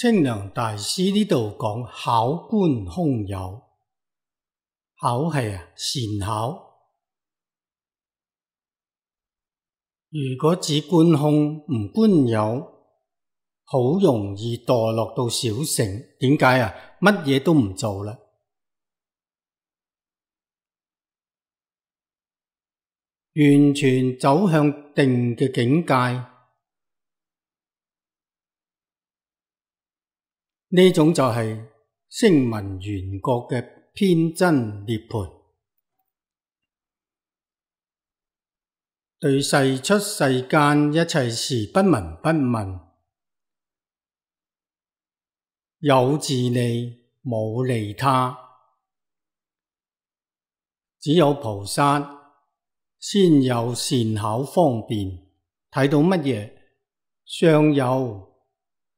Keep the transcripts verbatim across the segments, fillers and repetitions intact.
清涼大師呢度講巧觀空有，巧係啊善巧。如果只觀空唔觀有，好容易墮落到小乘。點解啊？乜嘢都唔做啦，完全走向定嘅境界。呢種就係聲聞緣覺嘅偏真涅槃，對世出世間一切事不聞不問，有自利冇利他。只有菩薩先有善巧方便，睇到乜嘢相有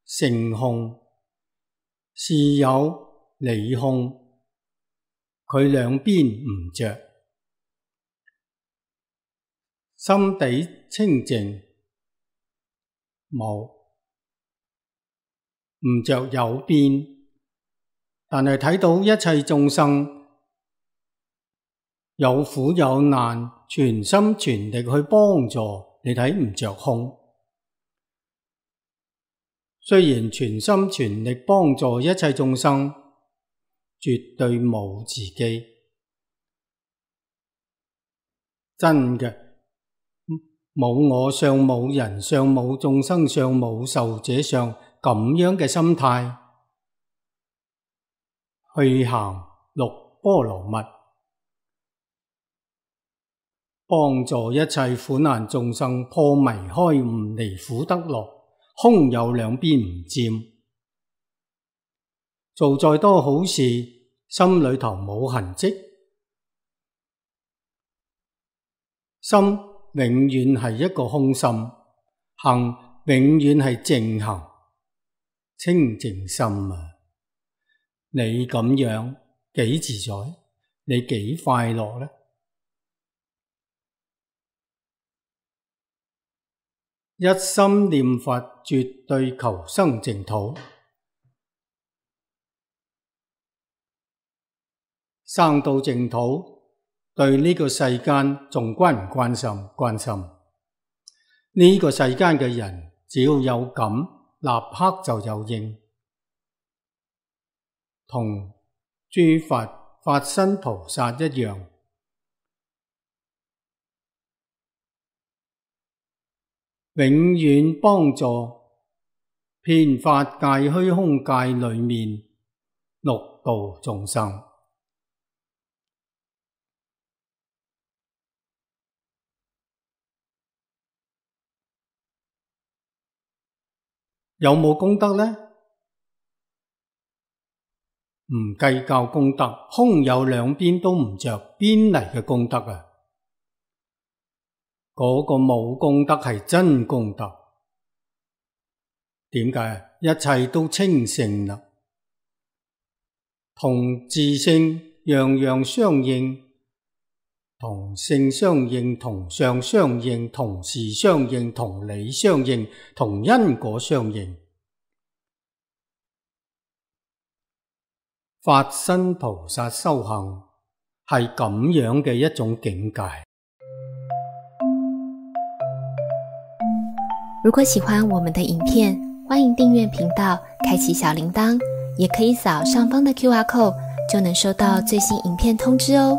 性空，事有理空，佢兩邊唔着，心地清淨，冇唔着有邊，但係睇到一切眾生有苦有難，全心全力去幫助，你睇唔着空。雖然全心全力幫助一切眾生，絕對冇自己，真嘅冇我相、冇人相、冇眾生相、冇壽者相，咁樣嘅心態去行六波羅蜜，幫助一切苦難眾生破迷開悟，離苦得樂。空有兩邊唔佔，做再多好事，心裏頭冇痕跡，心永遠係一個空心，行永遠係淨行，清淨心啊！你咁樣幾自在，你幾快樂呢？一心念佛，絕對求生淨土。生到淨土，對呢個世間仲關唔關心？關心。呢、這個世間嘅人，只要有感，立刻就有應。同諸佛法身菩薩一樣。永遠幫助遍法界虛空界裏面六道眾生。有冇功德呢？唔計較功德，空有兩邊都唔着，邊嚟嘅功德啊？嗰個冇功德係真功德。點解？一切都清淨啦，同自性樣樣相應，同性相應，同相相應，同事相應，同理相應，同因果相應。法身菩薩修行係咁樣嘅一種境界。如果喜歡我們的影片，歡迎訂閱頻道，開啟小鈴鐺，也可以掃上方的 Q R code，就能收到最新影片通知哦。